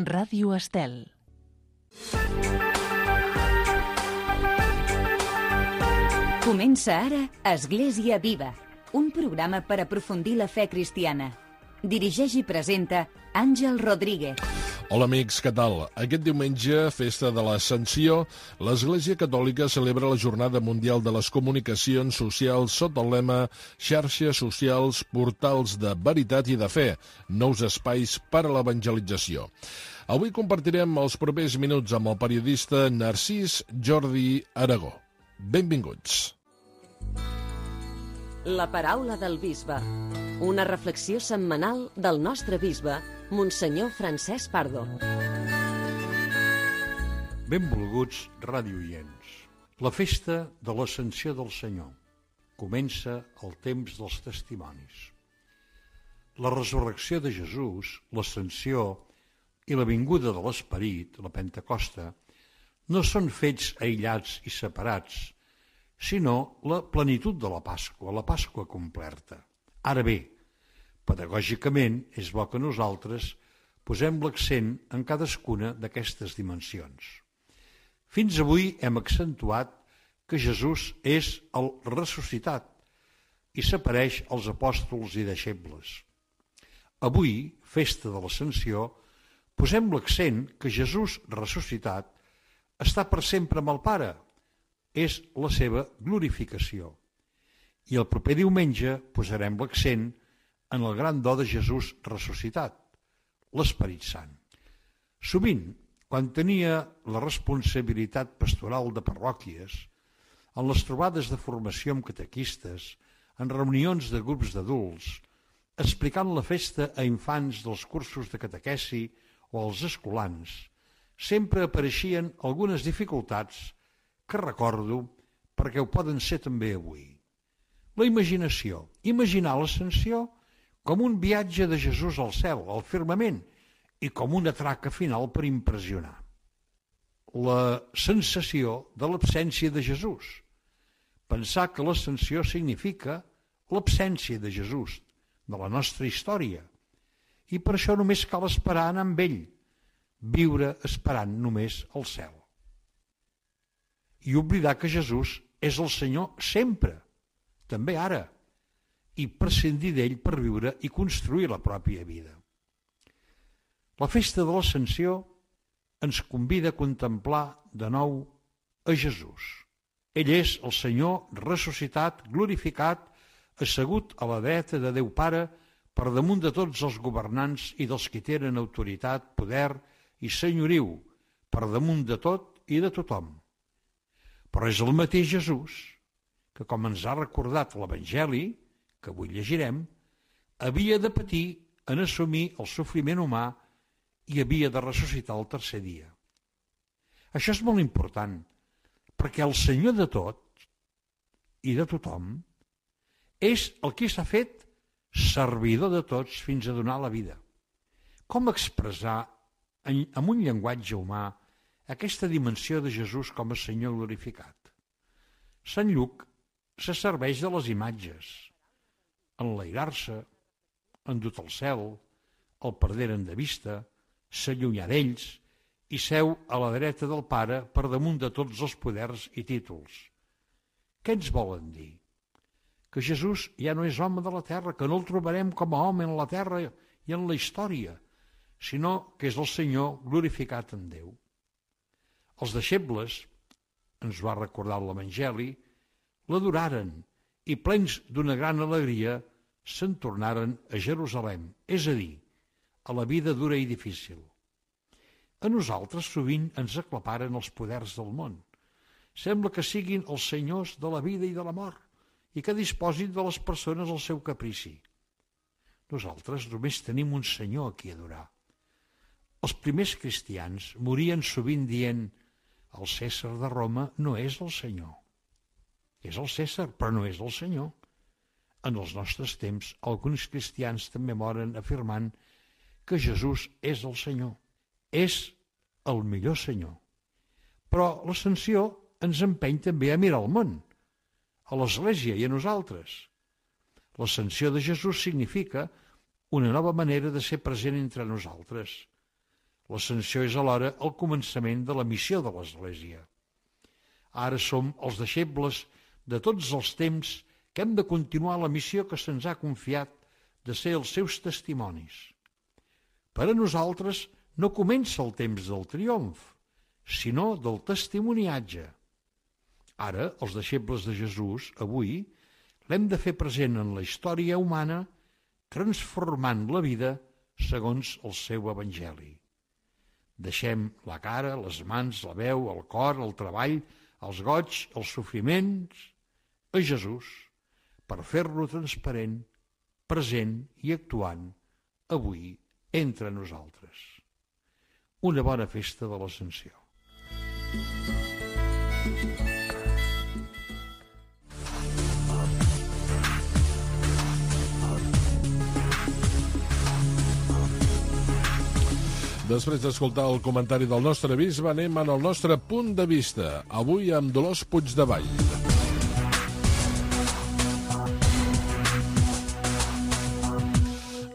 Ràdio Estel. Comença ara Església Viva, un programa per aprofundir la fe cristiana. Dirigeix i presenta Àngel Rodríguez. Hola amics, què tal? Aquest diumenge, festa de l'Ascensió, l'Església Catòlica celebra la Jornada Mundial de les Comunicacions Socials sota el lema Xarxes socials, portals de veritat i de fe, nous espais per a l'evangelització. Avui compartirem els propers minuts amb el periodista Narcís Jordi Aragó. Benvinguts. La paraula del bisbe. Una reflexió setmanal del nostre bisbe, Monsenyor Francesc Pardo. Benvolguts radioients. La festa de l'Ascensió del Senyor. Comença el temps dels testimonis. La resurrecció de Jesús, l'Ascensió i la vinguda de l'Esperit, la Pentecosta, no són fets aïllats i separats, sinó la plenitud de la Pasqua completa. Ara bé, pedagògicament és bo que nosaltres posem l'accent en cadascuna d'aquestes dimensions. Fins avui hem accentuat que Jesús és el ressuscitat i s'apareix als apòstols i deixebles. Avui, festa de l'Ascensió, posem l'accent que Jesús ressuscitat està per sempre amb el Pare. És la seva glorificació. I el proper diumenge posarem l'accent en el gran do de Jesús ressuscitat, l'Esperit Sant. Sovint, quan tenia la responsabilitat pastoral de parròquies, en les trobades de formació amb catequistes, en reunions de grups d'adults, explicant la festa a infants dels cursos de catequesi o als escolans, sempre apareixien algunes dificultats que recordo perquè ho poden ser també avui. La imaginació. Imaginar l'Ascensió com un viatge de Jesús al cel, al firmament, i com una traca final per impressionar. La sensació de l'absència de Jesús. Pensar que l'Ascensió significa l'absència de Jesús, de la nostra història. I per això només cal esperar anar amb ell, viure esperant només el cel. I oblidar que Jesús és el Senyor sempre, també ara, i prescindir d'ell per viure i construir la pròpia vida. La festa de l'Ascensió ens convida a contemplar de nou a Jesús. Ell és el Senyor ressuscitat, glorificat, assegut a la dreta de Déu Pare per damunt de tots els governants i dels que tenen autoritat, poder i senyoriu, per damunt de tot i de tothom. Però és el mateix Jesús que, com ens ha recordat l'Evangeli, que avui llegirem, havia de patir en assumir el sofriment humà i havia de ressuscitar el tercer dia. Això és molt important, perquè el Senyor de tot i de tothom és el que s'ha fet servidor de tots fins a donar la vida. Com expressar amb un llenguatge humà aquesta dimensió de Jesús com a Senyor glorificat? Sant Lluc se serveix de les imatges. Enlairar-se, endut al cel, el perderen de vista, s'allunyar d'ells i seu a la dreta del Pare per damunt de tots els poders i títols. Què ens volen dir? Que Jesús ja no és home de la terra, que no el trobarem com a home en la terra i en la història, sinó que és el Senyor glorificat en Déu. Els deixebles, ens ho ha recordat l'Evangeli, l'adoraren i plens d'una gran alegria se'n tornaren a Jerusalem, és a dir, a la vida dura i difícil. A nosaltres sovint ens aclaparen els poders del món. Sembla que siguin els senyors de la vida i de la mort i que disposin de les persones al seu caprici. Nosaltres només tenim un Senyor a qui adorar. Els primers cristians morien sovint dient: el Cèsar de Roma no és el Senyor. És el Cèsar, però no és el Senyor. En els nostres temps, alguns cristians també moren afirmant que Jesús és el Senyor. És el millor Senyor. Però l'Ascensió ens empeny també a mirar el món, a l'Església i a nosaltres. L'Ascensió de Jesús significa una nova manera de ser present entre nosaltres. L'ascensió és alhora el començament de la missió de l'Església. Ara som els deixebles de tots els temps que hem de continuar la missió que se'ns ha confiat de ser els seus testimonis. Per a nosaltres no comença el temps del triomf, sinó del testimoniatge. Ara, els deixebles de Jesús, avui, l'hem de fer present en la història humana, transformant la vida segons el seu evangeli. Deixem la cara, les mans, la veu, el cor, el treball, els goig, els sofriments a Jesús per fer-lo transparent, present i actuant avui entre nosaltres. Una bona festa de l'Ascensió. Després d'escoltar el comentari del nostre bisbe, anem en el nostre punt de vista, avui amb Dolors Puigdevall.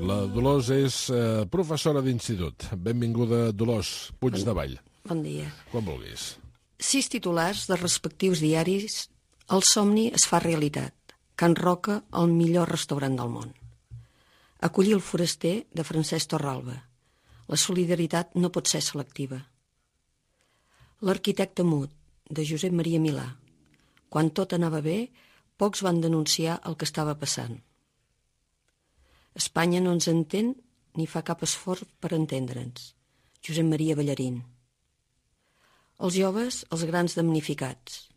La Dolors és professora d'institut. Benvinguda, Dolors Puigdevall. Bon dia. Quan vulguis. 6 titulars de respectius diaris. El somni es fa realitat. Can Roca, el millor restaurant del món. Acollir el foraster, de Francesc Torralba. La solidaritat no pot ser selectiva. L'arquitecte mut, de Josep Maria Milà. Quan tot anava bé, pocs van denunciar el que estava passant. Espanya no ens entén ni fa cap esforç per entendre'ns. Josep Maria Ballarín. Els joves, els grans damnificats.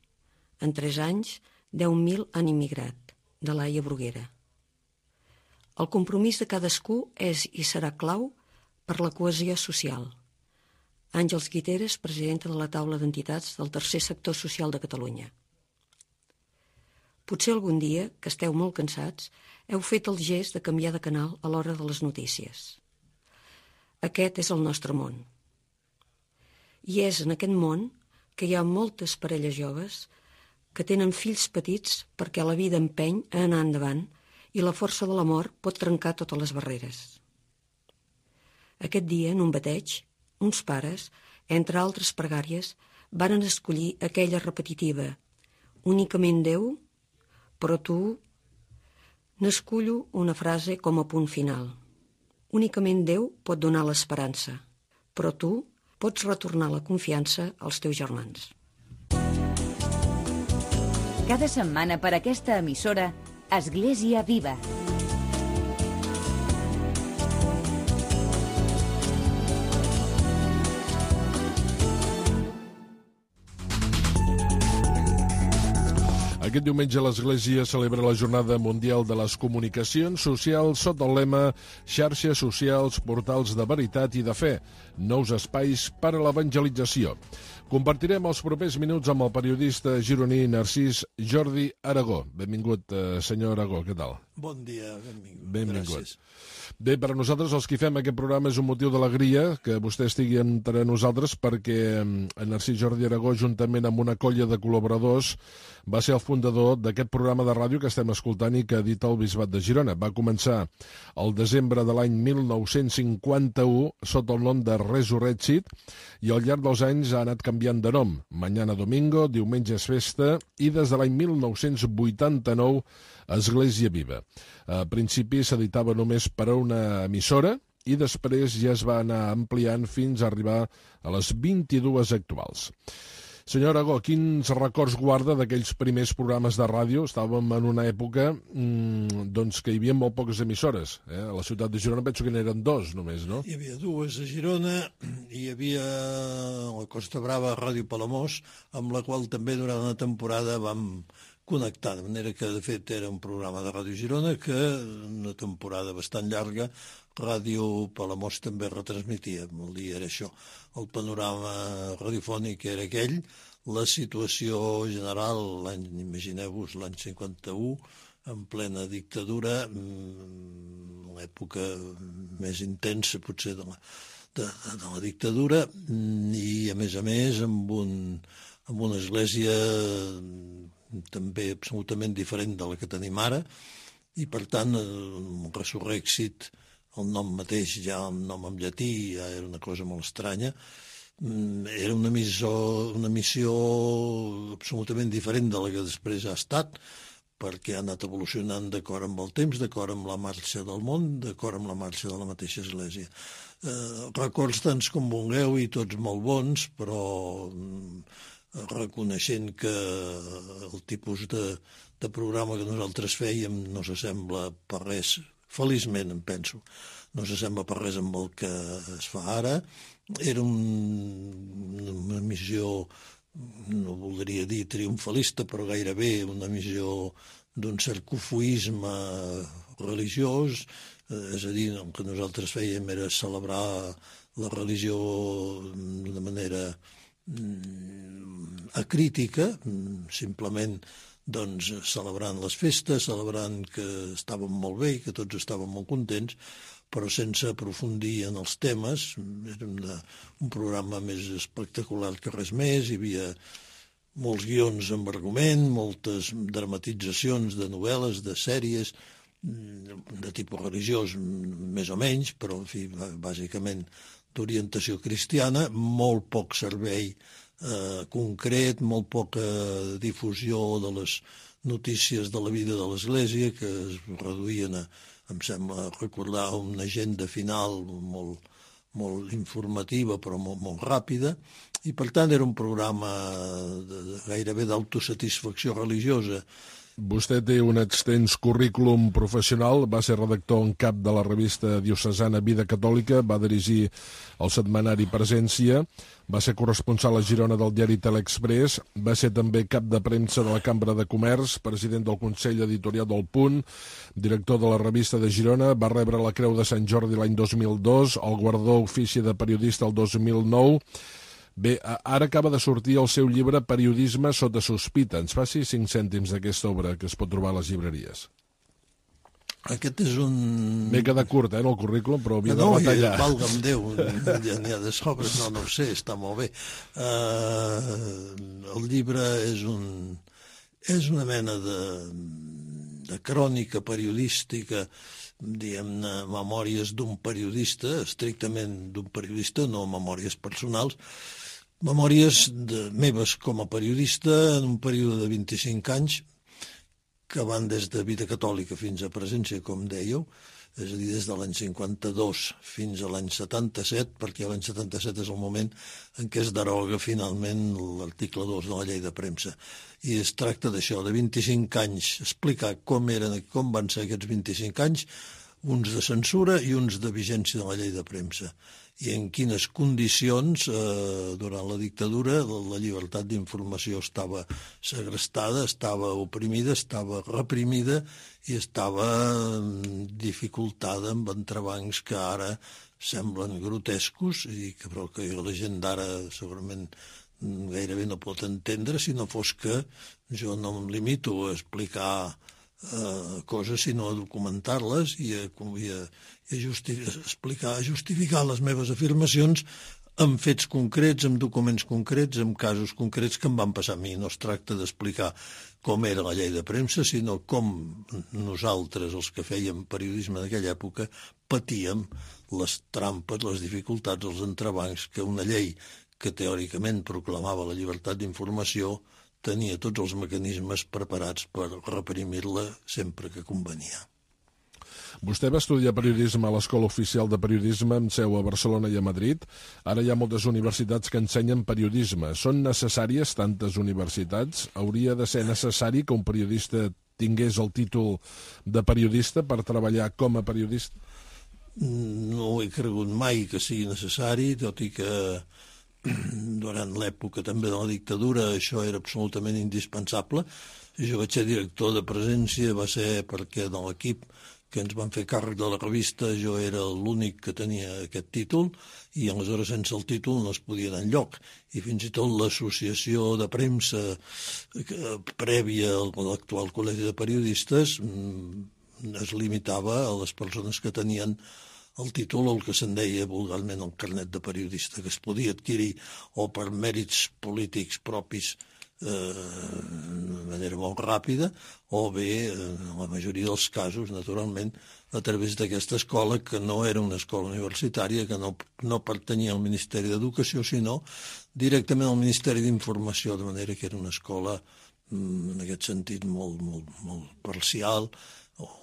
En 3 anys, 10.000 han immigrat, de Laia Bruguera. El compromís de cadascú és i serà clau per la cohesió social. Àngels Guiteres, presidenta de la taula d'entitats del tercer sector social de Catalunya. Potser algun dia, que esteu molt cansats, heu fet el gest de canviar de canal a l'hora de les notícies. Aquest és el nostre món. I és en aquest món que hi ha moltes parelles joves que tenen fills petits perquè la vida empeny a anar endavant i la força de l'amor pot trencar totes les barreres. Aquest dia, en un bateig, uns pares, entre altres pregàries, varen escollir aquella repetitiva «Únicament Déu, però tu...» N'escullo una frase com a punt final. Únicament Déu pot donar l'esperança, però tu pots retornar la confiança als teus germans. Cada setmana per aquesta emissora, Església Viva. Aquest diumenge l'Església celebra la Jornada Mundial de les Comunicacions Socials sota el lema Xarxes socials, portals de veritat i de fe, nous espais per a l'evangelització. Compartirem els propers minuts amb el periodista gironí Narcís Jordi Aragó. Benvingut, senyor Aragó, què tal? Bon dia, benvingut. Benvingut. Gràcies. Bé, per a nosaltres, els que fem aquest programa, és un motiu d'alegria que vostè estigui entre nosaltres perquè en Narcís Jordi Aragó, juntament amb una colla de col·laboradors, va ser el fundador d'aquest programa de ràdio que estem escoltant i que edita el Bisbat de Girona. Va començar el desembre de l'any 1951 sota el nom de Resurrected i al llarg dels anys ha anat canviant de nom. Mañana Domingo, Diumenge és Festa i des de l'any 1989 Església Viva. A principi s'editava només per a una emissora i després ja es va anar ampliant fins a arribar a les 22 actuals. Senyor Aragó, quins records guarda d'aquells primers programes de ràdio? Estàvem en una època doncs, que hi havia molt poques emissores. A la ciutat de Girona penso que n'eren 2 només, no? Hi havia 2 a Girona, hi havia la Costa Brava, Ràdio Palamós, amb la qual també durant una temporada vam connectar, de manera que de fet era un programa de Ràdio Girona que una temporada bastant llarga Ràdio Palamós també retransmitia. El dia era això, el panorama radiofònic era aquell, la situació general, imagineu-vos, l'any 51, en plena dictadura, l'època més intensa potser de la dictadura, i a més amb una església també absolutament diferent de la que tenim ara, i per tant el Resurrected, el nom mateix, ja el nom en llatí, ja era una cosa molt estranya. Era una missió absolutament diferent de la que després ha estat, perquè ha anat evolucionant d'acord amb el temps, d'acord amb la marxa del món, d'acord amb la marxa de la mateixa Església. Records tants com vulgueu i tots molt bons, però reconeixent que el tipus de programa que nosaltres fèiem no s'assembla per res, feliçment em penso, no s'assembla per res amb el que es fa ara. Era una missió, no voldria dir triomfalista, però gairebé una missió d'un cert cofoisme religiós, és a dir, el que nosaltres fèiem era celebrar la religió d'una manera acrítica, simplement doncs, celebrant les festes, celebrant que estàvem molt bé i que tots estàvem molt contents, però sense aprofundir en els temes. Era un programa més espectacular que res més, hi havia molts guions amb argument, moltes dramatitzacions de novel·les, de sèries, de tipus religiós, més o menys, però, en fi, bàsicament d'orientació cristiana, molt poc servei concret, molt poca difusió de les notícies de la vida de l'Església, que es reduïen a, em sembla recordar, una agenda final molt informativa però molt ràpida, i per tant era un programa gairebé d'autosatisfacció religiosa. Vostè té un extens currículum professional, va ser redactor en cap de la revista diocesana Vida Catòlica, va dirigir el setmanari Presència, va ser corresponsal a Girona del diari Telexpress, va ser també cap de premsa de la Cambra de Comerç, president del Consell Editorial del Punt, director de la revista de Girona, va rebre la Creu de Sant Jordi l'any 2002, el guardó Ofici de Periodista el 2009. Bé, ara acaba de sortir el seu llibre Periodisme sota sospita. Ens faci 5 cèntims d'aquesta obra que es pot trobar a les llibreries. Aquest és un... M'he quedat curt, en el currículum, però havia de retallar. No, valga'm Déu, ja n'hi ha de sobres, no ho sé, està molt bé. El llibre és una mena de crònica periodística, diguem-ne, memòries d'un periodista, estrictament d'un periodista, no memòries personals, memòries meves com a periodista en un període de 25 anys que van des de Vida Catòlica fins a Presència, com dèieu, és a dir, des de l'any 52 fins a l'any 77, perquè l'any 77 és el moment en què es deroga finalment l'article 2 de la llei de premsa. I es tracta d'això, de 25 anys, explicar com van ser aquests 25 anys, uns de censura i uns de vigència de la llei de premsa, i en quines condicions durant la dictadura la llibertat d'informació estava segrestada, estava oprimida, estava reprimida i estava dificultada amb entrebancs que ara semblen grotescos i però que la gent d'ara segurament gairebé no pot entendre, si no fos que jo no em limito a explicar coses, sinó a documentar-les i a justificar les meves afirmacions amb fets concrets, amb documents concrets, amb casos concrets que em van passar a mi. No es tracta d'explicar com era la llei de premsa, sinó com nosaltres, els que fèiem periodisme d'aquella època, patíem les trampes, les dificultats, els entrebancs que una llei que teòricament proclamava la llibertat d'informació tenia tots els mecanismes preparats per reprimir-la sempre que convenia. Vostè va estudiar periodisme a l'Escola Oficial de Periodisme amb seu a Barcelona i a Madrid. Ara hi ha moltes universitats que ensenyen periodisme. Són necessàries tantes universitats? Hauria de ser necessari que un periodista tingués el títol de periodista per treballar com a periodista? No he cregut mai que sigui necessari, tot i que durant l'època també de la dictadura això era absolutament indispensable. Jo vaig ser director de Presència, va ser perquè de l'equip que ens van fer càrrec de la revista jo era l'únic que tenia aquest títol i aleshores sense el títol no es podia anar enlloc. I fins i tot l'associació de premsa prèvia a l'actual Col·legi de Periodistes es limitava a les persones que tenien el títol, el que se'n deia vulgarment el carnet de periodista, que es podia adquirir o per mèrits polítics propis de manera molt ràpida, o bé, en la majoria dels casos, naturalment, a través d'aquesta escola, que no era una escola universitària, que no pertanyia al Ministeri d'Educació, sinó directament al Ministeri d'Informació, de manera que era una escola, en aquest sentit, molt parcial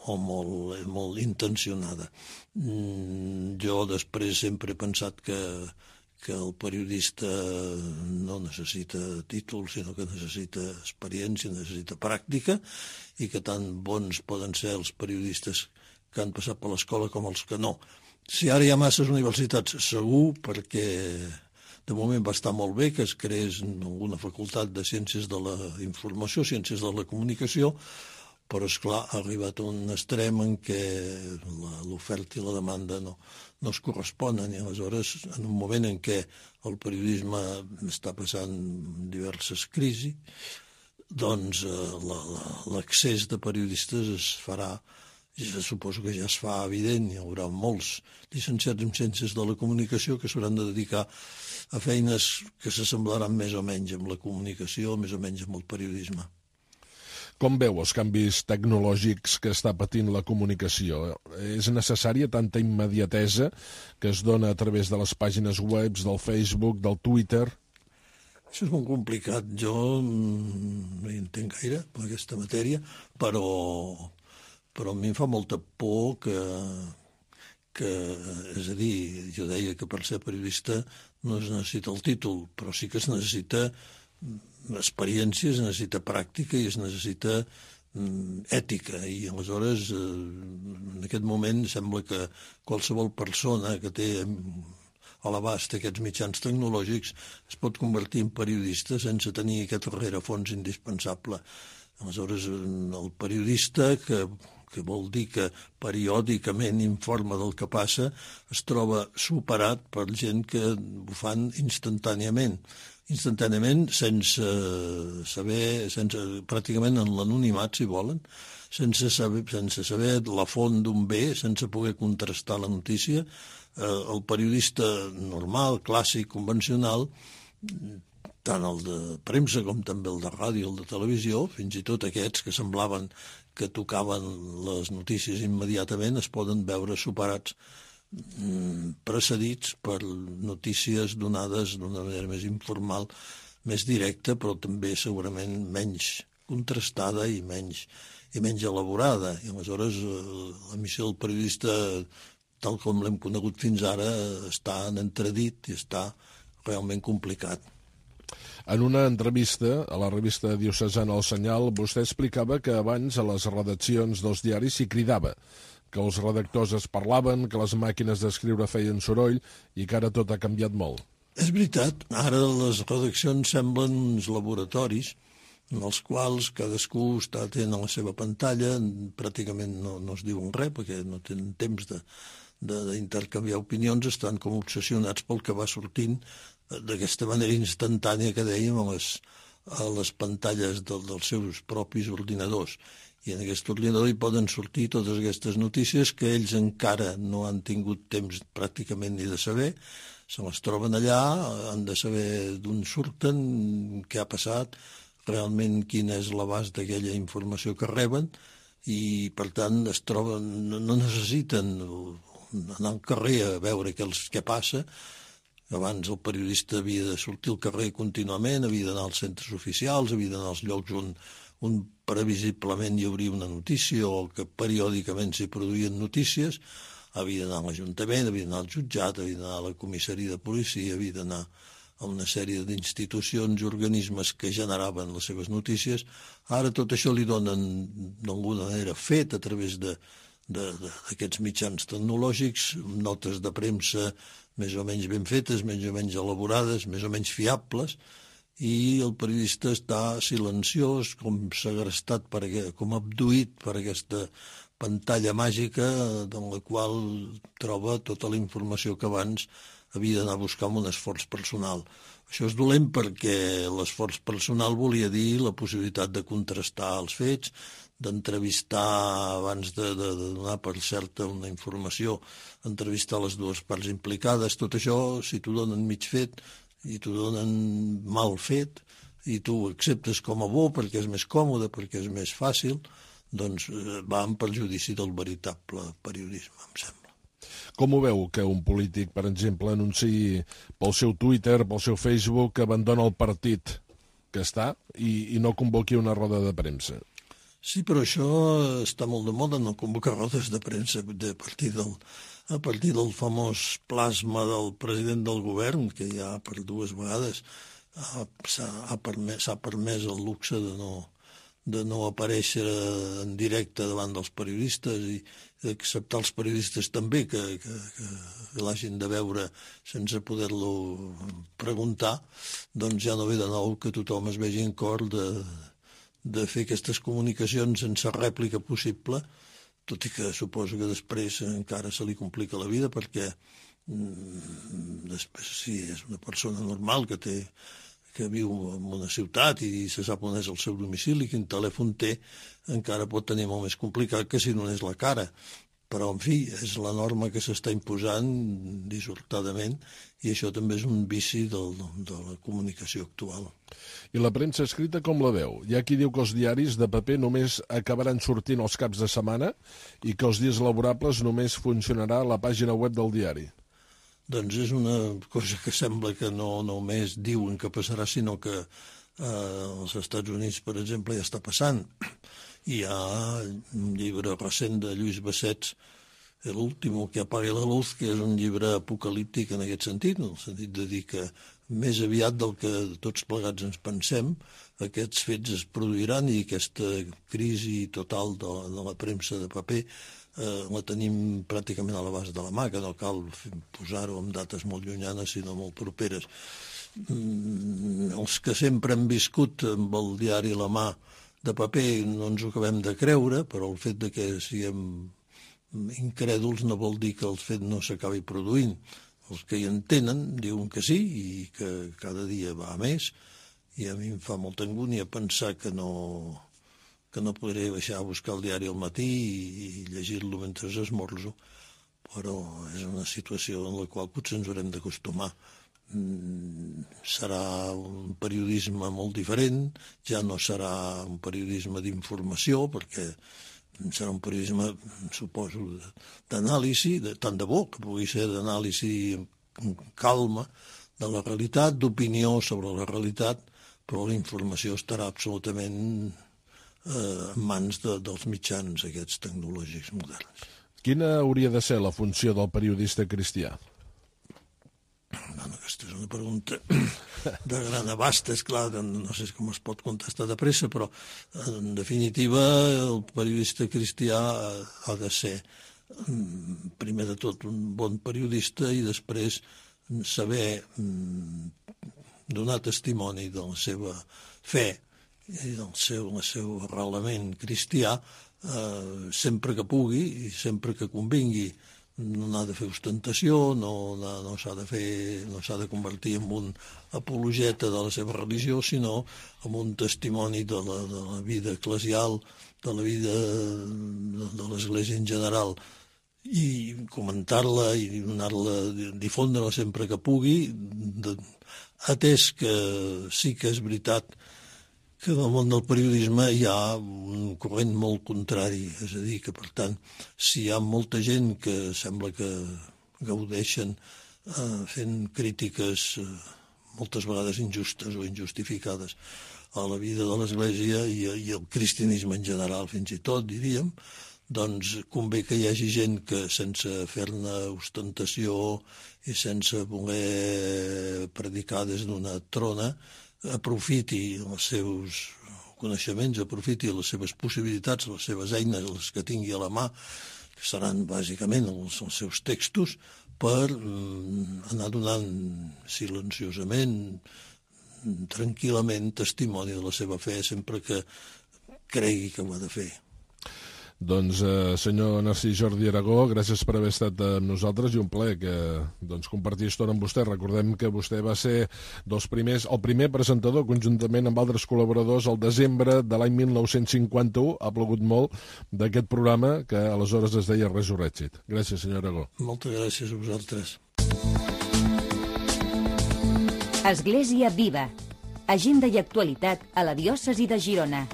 o molt intencionada. Jo després sempre he pensat que el periodista no necessita títol, sinó que necessita experiència, necessita pràctica, i que tan bons poden ser els periodistes que han passat per l'escola com els que no. Si ara hi ha masses universitats, segur, perquè de moment va estar molt bé que es creés alguna facultat de Ciències de la Informació, Ciències de la Comunicació, però, esclar, ha arribat a un extrem en què l'oferta i la demanda no es corresponen, i aleshores, en un moment en què el periodisme està passant diverses crisis, doncs l'accés de periodistes es farà, jo suposo que ja es fa evident, hi haurà molts llicenciats en Ciències de la Comunicació que s'hauran de dedicar a feines que s'assemblaran més o menys amb la comunicació, més o menys amb el periodisme. Com veu els canvis tecnològics que està patint la comunicació? És necessària tanta immediatesa que es dona a través de les pàgines web, del Facebook, del Twitter? Això és molt complicat. Jo no hi entenc gaire, per aquesta matèria, però a mi em fa molta por que, és a dir, jo deia que per ser periodista no es necessita el títol, però sí que es necessita experiència, es necessita pràctica i es necessita ètica, i aleshores en aquest moment sembla que qualsevol persona que té a l'abast aquests mitjans tecnològics es pot convertir en periodista sense tenir aquest rerefons indispensable. Aleshores, el periodista, que vol dir que periòdicament informa del que passa, es troba superat per gent que ho fan instantàniament, sense saber, pràcticament en l'anonimat, si volen, sense saber la font d'un bé, sense poder contrastar la notícia. El periodista normal, clàssic, convencional, tant el de premsa com també el de ràdio, el de televisió, fins i tot aquests que semblaven que tocaven les notícies immediatament, es poden veure superats, precedits per notícies donades d'una manera més informal, més directa, però també segurament menys contrastada i menys elaborada. I aleshores la missió del periodista, tal com l'hem conegut fins ara, està en entredit i està realment complicat. En una entrevista a la revista diocesana El Senyal, vostè explicava que abans a les redaccions dels diaris s'hi cridava, que els redactors es parlaven, que les màquines d'escriure feien soroll i que ara tot ha canviat molt. És veritat, ara les redaccions semblen uns laboratoris en els quals cadascú està atent a la seva pantalla, pràcticament no es diuen res perquè no tenen temps d'intercanviar opinions, estan com obsessionats pel que va sortint d'aquesta manera instantània que dèiem a les pantalles dels seus propis ordinadors. I en aquest ordinador hi poden sortir totes aquestes notícies que ells encara no han tingut temps pràcticament ni de saber, se les troben allà, han de saber d'on surten, què ha passat, realment quin és l'abast d'aquella informació que reben, i per tant es troben, no necessiten anar al carrer a veure què passa. Abans el periodista havia de sortir al carrer contínuament, havia d'anar als centres oficials, havia d'anar als llocs on previsiblement hi hauria una notícia o que periòdicament s'hi produïen notícies, havia d'anar a l'Ajuntament, havia d'anar al jutjat, havia d'anar a la comissaria de policia, havia d'anar a una sèrie d'institucions i organismes que generaven les seves notícies. Ara tot això li donen d'alguna manera fet a través d'aquests mitjans tecnològics, notes de premsa més o menys ben fetes, més o menys elaborades, més o menys fiables, i el periodista està silenciós, com segrestat, com abduït per aquesta pantalla màgica en la qual troba tota la informació que abans havia d'anar a buscar amb un esforç personal. Això és dolent perquè l'esforç personal volia dir la possibilitat de contrastar els fets, d'entrevistar abans de donar per certa una informació, entrevistar les dues parts implicades. Tot això, si t'ho donen mig fet i t'ho donen mal fet, i tu ho acceptes com a bo perquè és més còmode, perquè és més fàcil, doncs va en perjudici del veritable periodisme, em sembla. Com ho veu que un polític, per exemple, anunciï pel seu Twitter, pel seu Facebook, que abandona el partit que està i no convoqui una roda de premsa? Sí, però això està molt de moda, no convocar rodes de premsa a partir del famós plasma del president del govern, que ja per 2 vegades s'ha permès el luxe de no aparèixer en directe davant dels periodistes i d'acceptar els periodistes també que l'hagin de veure sense poder-lo preguntar, doncs ja no ve de nou que tothom es vegi en cor de fer aquestes comunicacions sense rèplica possible, tot i que suposo que després encara se li complica la vida perquè després si és una persona normal que viu en una ciutat i se sap on és el seu domicili, quin telèfon té, encara pot tenir molt més complicat que si no és la cara. Però, en fi, és la norma que s'està imposant dissortadament i això també és un vici de la comunicació actual. I la premsa escrita com la veu? Hi ha qui diu que els diaris de paper només acabaran sortint els caps de setmana i que els dies laborables només funcionarà la pàgina web del diari. Doncs és una cosa que sembla que no només diuen que passarà, sinó que als Estats Units, per exemple, ja està passant. Hi ha un llibre recent de Lluís Bassets, El último que apague la luz, que és un llibre apocalíptic en aquest sentit, en el sentit de dir que més aviat del que tots plegats ens pensem, aquests fets es produiran i aquesta crisi total de la premsa de paper la tenim pràcticament a l'abast de la mà, que no cal posar-ho amb dates molt llunyanes, sinó molt properes. Els que sempre han viscut amb el diari a la mà de paper no ens ho acabem de creure, però el fet de que siguem incrèduls no vol dir que el fet no s'acabi produint. Els que hi entenen diuen que sí i que cada dia va a més, i a mi em fa molta angúnia pensar que no podré baixar a buscar el diari al matí i llegir-lo mentre esmorzo, però és una situació en la qual potser ens haurem d'acostumar. Serà un periodisme molt diferent, ja no serà un periodisme d'informació, perquè serà un periodisme, suposo, d'anàlisi, tant de bo que pugui ser d'anàlisi amb calma de la realitat, d'opinió sobre la realitat, però la informació estarà absolutament en mans dels mitjans aquests tecnològics moderns. Quina hauria de ser la funció del periodista cristià? Bueno, aquesta és una pregunta de gran abast, és clar, no sé com es pot contestar de pressa, però en definitiva el periodista cristià ha de ser primer de tot un bon periodista i després saber donar testimoni de la seva fe i del seu arrelament cristià sempre que pugui i sempre que convingui. No n'ha de fer ostentació, no s'ha de convertir en un apologeta de la seva religió, sinó en un testimoni de la vida eclesial, de la vida de l'Església en general, i comentar-la i difondre-la sempre que pugui, atès que sí que és veritat que en el món del periodisme hi ha un corrent molt contrari, és a dir, que per tant, si hi ha molta gent que sembla que gaudeixen fent crítiques moltes vegades injustes o injustificades a la vida de l'Església i al cristianisme en general, fins i tot, diríem, doncs convé que hi hagi gent que sense fer-ne ostentació i sense voler predicar des d'una trona aprofiti els seus coneixements, aprofiti les seves possibilitats, les seves eines, les que tingui a la mà, que seran bàsicament els seus textos, per anar donant silenciosament, tranquil·lament, testimoni de la seva fe, sempre que cregui que ho ha de fer. Doncs, senyor Narcís Jordi Aragó, gràcies per haver estat amb nosaltres i un plaer compartir estona amb vostè. Recordem que vostè va ser el primer presentador, conjuntament amb altres col·laboradors, al desembre de l'any 1951, ha plogut molt, d'aquest programa que aleshores es deia Resurrected. Gràcies, senyor Aragó. Moltes gràcies a vosaltres. Església Viva. agenda i actualitat a la diòcesi de Girona.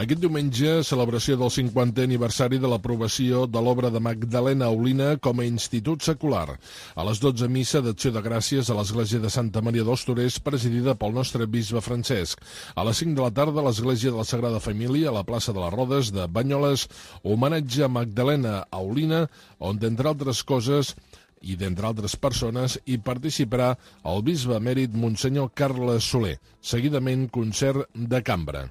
Aquest diumenge, celebració del 50è aniversari de l'aprovació de l'obra de Magdalena Aulina com a institut secular. A les 12, missa d'acció de gràcies a l'església de Santa Maria dels Torers, presidida pel nostre bisbe Francesc. A les 5 de la tarda, a l'església de la Sagrada Família, a la plaça de les Rodes de Banyoles, homenatge a Magdalena Aulina, on, d'entre altres coses, i d'entre altres persones, hi participarà el bisbe emèrit Monsenyor Carles Soler. Seguidament, concert de cambra.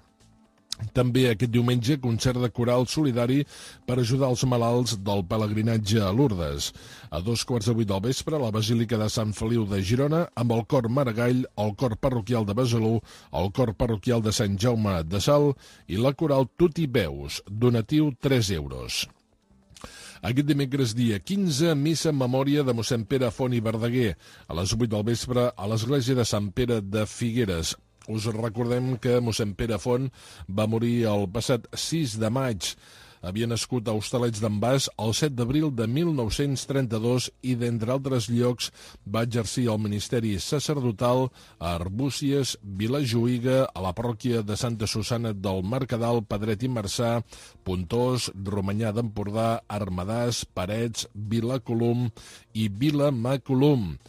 També aquest diumenge, concert de coral solidari per ajudar els malalts del pelegrinatge a Lourdes. A 2:15 del vespre, a la Basílica de Sant Feliu de Girona, amb el cor Maragall, el cor parroquial de Besalú, el cor parroquial de Sant Jaume de Salt i la coral Tutti Veus, donatiu 3 euros. Aquest dimecres, dia 15, missa en memòria de mossèn Pere Font i Verdaguer, a les 8 del vespre, a l'església de Sant Pere de Figueres. Us recordem que mossèn Pere Font va morir el passat 6 de maig. Havia nascut a Hostalets d'en Bas el 7 d'abril de 1932 i, d'entre altres llocs, va exercir el ministeri sacerdotal a Arbúcies, Vilajuïga, a la parròquia de Santa Susana del Mercadal, Pedret i Marçà, Pontós, Romanyà d'Empordà, Armadàs, Parets, Vilacolum i Vilamacolum.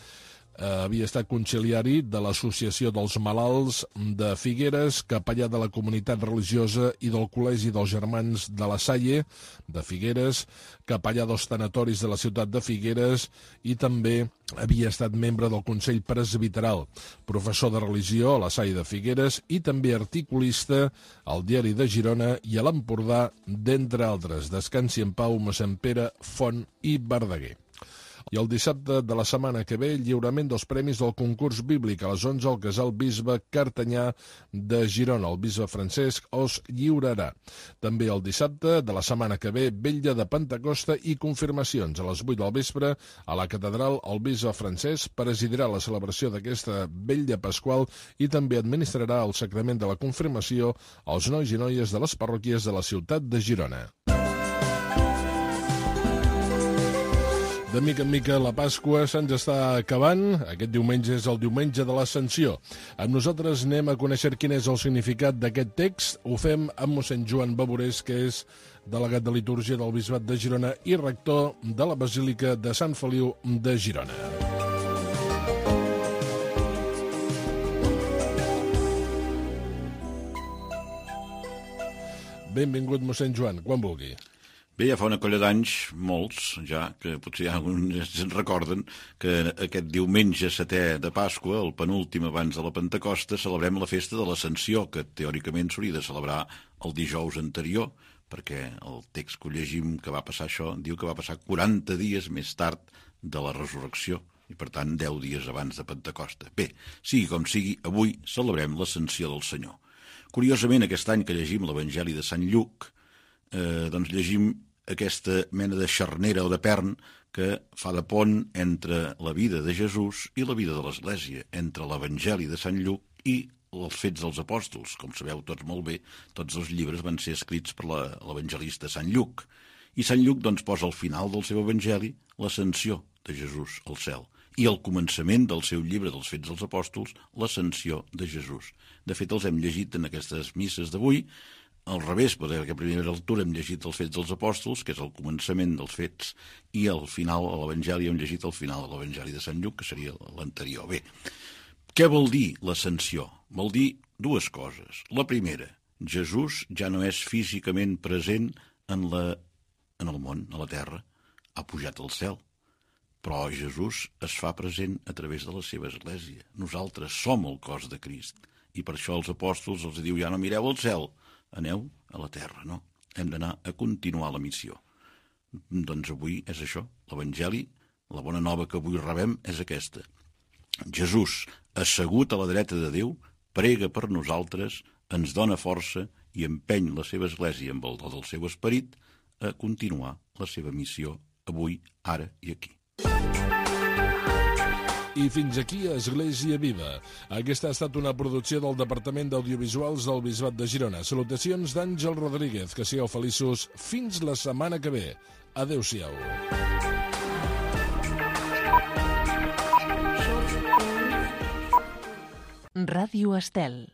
Havia estat conciliari de l'Associació dels Malalts de Figueres, capellà de la comunitat religiosa i del Col·legi dels Germans de la Salle de Figueres, capellà dels tanatoris de la ciutat de Figueres i també havia estat membre del Consell Presbiteral, professor de religió a la Salle de Figueres i també articulista al Diari de Girona i a l'Empordà, d'entre altres. Descansi en pau mossèn Pere Font i Verdaguer. I el dissabte de la setmana que ve, lliurament dels premis del concurs bíblic a les 11 al casal bisbe Cartanyà de Girona. El bisbe Francesc els lliurarà. També el dissabte de la setmana que ve, vetlla de Pentecosta i confirmacions. A les 8 del vespre, a la catedral, el bisbe Francesc presidirà la celebració d'aquesta vetlla pasqual i també administrarà el sacrament de la confirmació als nois i noies de les parròquies de la ciutat de Girona. De mica en mica la Pasqua se'ns està acabant. Aquest diumenge és el diumenge de l'Ascensió. Amb nosaltres anem a conèixer quin és el significat d'aquest text. Ho fem amb mossèn Joan Baborés, que és delegat de litúrgia del Bisbat de Girona i rector de la Basílica de Sant Feliu de Girona. Benvingut, mossèn Joan, quan vulgui. Bé, ja fa una colla d'anys, molts, ja, que potser alguns se'n recorden, que aquest diumenge 7è de Pasqua, el penúltim abans de la Pentecosta, celebrem la festa de l'Ascensió, que teòricament s'hauria de celebrar el dijous anterior, perquè el text que llegim que va passar això diu que va passar 40 dies més tard de la resurrecció, i per tant 10 dies abans de Pentecosta. Bé, sigui com sigui, avui celebrem l'Ascensió del Senyor. Curiosament, aquest any que llegim l'Evangeli de Sant Lluc, doncs llegim aquesta mena de xarnera o de pern que fa de pont entre la vida de Jesús i la vida de l'Església, entre l'Evangeli de Sant Lluc i els Fets dels Apòstols. Com sabeu tots molt bé, tots els llibres van ser escrits per l'evangelista Sant Lluc. I Sant Lluc doncs, posa al final del seu Evangeli l'ascensió de Jesús al cel i al començament del seu llibre dels Fets dels Apòstols l'ascensió de Jesús. De fet, els hem llegit en aquestes misses d'avui, al revés, perquè a primera lectura hem llegit els Fets dels Apòstols, que és el començament dels Fets, i al final, a l'Evangeli, hem llegit el final de l'Evangeli de Sant Lluc, que seria l'anterior. Bé, què vol dir l'ascensió? Vol dir dues coses. La primera, Jesús ja no és físicament present en el món, a la terra, ha pujat al cel, però Jesús es fa present a través de la seva església. Nosaltres som el cos de Crist, i per això els apòstols els diu, ja no mireu al cel, aneu a la terra, no? Hem d'anar a continuar la missió. Doncs avui és això, l'Evangeli, la bona nova que avui rebem és aquesta. Jesús, assegut a la dreta de Déu, prega per nosaltres, ens dona força i empeny la seva església amb el do del seu esperit a continuar la seva missió avui, ara i aquí. I fins aquí Església Viva. Aquesta ha estat una producció del Departament d'Audiovisuals del Bisbat de Girona. Salutacions d'Àngel Rodríguez. Que sigueu feliços fins la setmana que ve. Adéu-siau. Ràdio Estel.